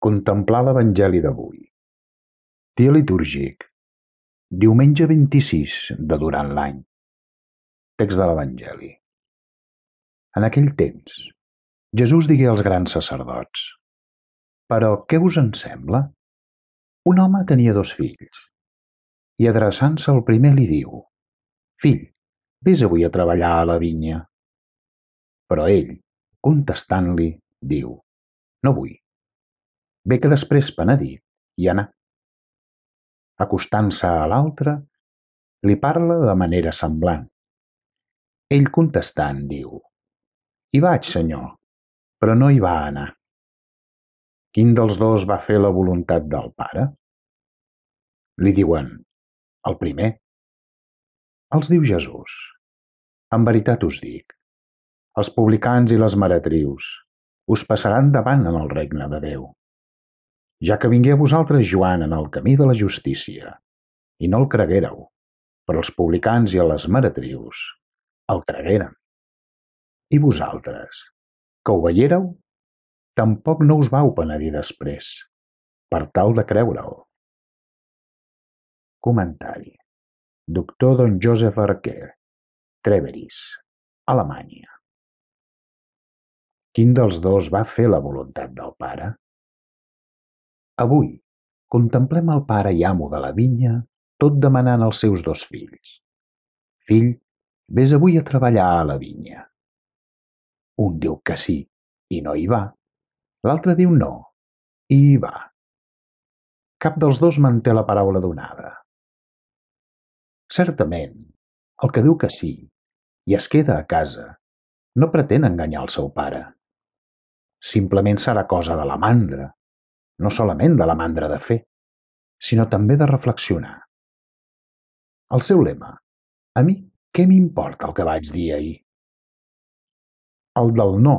Contemplar l'Evangeli d'avui. Dia litúrgic. Diumenge 26 de durant l'any. Text de l'Evangeli. En aquell temps, Jesús digué als grans sacerdots: «Però què us en sembla? Un home tenia 2 fills, i adreçant-se al primer li diu: Fill, vés avui a treballar a la vinya. Però ell, contestant-li, diu: No vull. Bé que després penedit hi anà. Acostant-se a l'altre, li parla de manera semblant. Ell contestant diu: Hi vaig, senyor, però no hi va anar. Quin dels dos va fer la voluntat del pare? Li diuen: El primer. Els diu Jesús: En veritat us dic, els publicans i les meretrius us passaran davant en el regne de Déu. Ja que vingué a vosaltres Joan en el camí de la justícia, i no el creguéreu, però els publicans i les meretrius el cregueren. I vosaltres, que ho veiéreu, tampoc no us vau penedir després, per tal de creure'l. Comentari. Doctor Don Joseph Arquer, Treveris, Alemanya. Quin dels dos va fer la voluntat del pare? Avui contemplem el pare i amo de la vinya tot demanant als seus 2 fills: Fill, vés avui a treballar a la vinya. Un diu que sí i no hi va, l'altre diu no i hi va. Cap dels dos manté la paraula donada. Certament, el que diu que sí i es queda a casa no pretén enganyar el seu pare. Simplement serà cosa de la mandra, no solament de la mandra de fer, sinó també de reflexionar. El seu lema: a mi què m'importa el que vaig dir ahir? El del no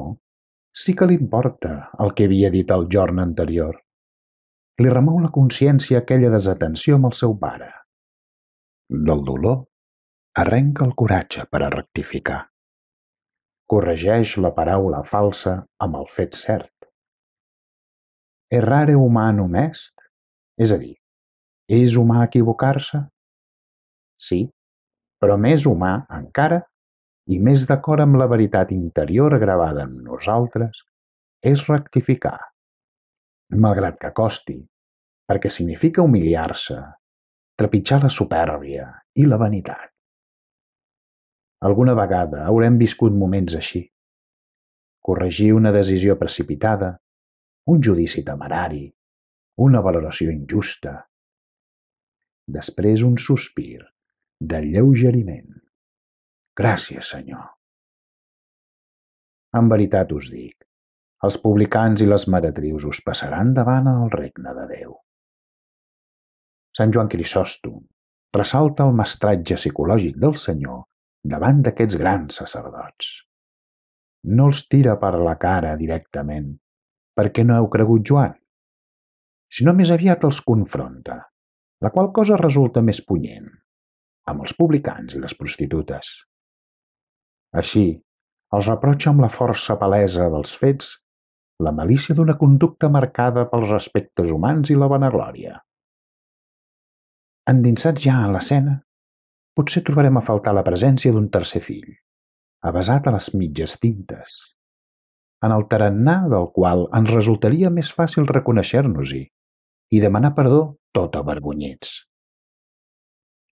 sí que li importa el que havia dit el jorn anterior. Li remou la consciència aquella desatenció amb el seu pare. Del dolor arrenca el coratge per a rectificar. Corregeix la paraula falsa amb el fet cert. Errare humanum est, és a dir, és humà equivocar-se? Sí, però més humà encara i més d'acord amb la veritat interior gravada en nosaltres és rectificar, malgrat que costi, perquè significa humiliar-se, trepitjar la supèrbia i la vanitat. Alguna vegada haurem viscut moments així. Corregir una decisió precipitada, un judici temerari, una valoració injusta. Després un sospir d'alleugeriment. Gràcies, Senyor. En veritat us dic, els publicans i les meretrius us passaran davant en el regne de Déu. Sant Joan Crisòstom ressalta el mestratge psicològic del Senyor davant d'aquests grans sacerdots. No els tira per la cara directament, perquè no heu cregut Joan, sinó més aviat els confronta, la qual cosa resulta més punyent, amb els publicans i les prostitutes. Així, els reprotxa amb la força palesa dels fets la malícia d'una conducta marcada pels respectes humans i la vanaglòria. Endinsats ja en l'escena, potser trobarem a faltar la presència d'un tercer fill, avesat a les mitges tintes, en el tarannà del qual ens resultaria més fàcil reconèixer-nos-hi i demanar perdó tot avergonyits.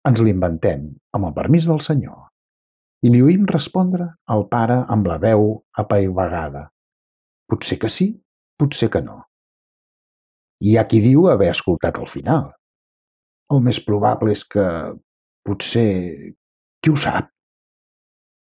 Ens l'inventem amb el permís del Senyor i li oïm respondre al pare amb la veu apaivagada: potser que sí, potser que no. Hi ha qui diu haver escoltat el final. El més probable és que, potser, qui ho sap?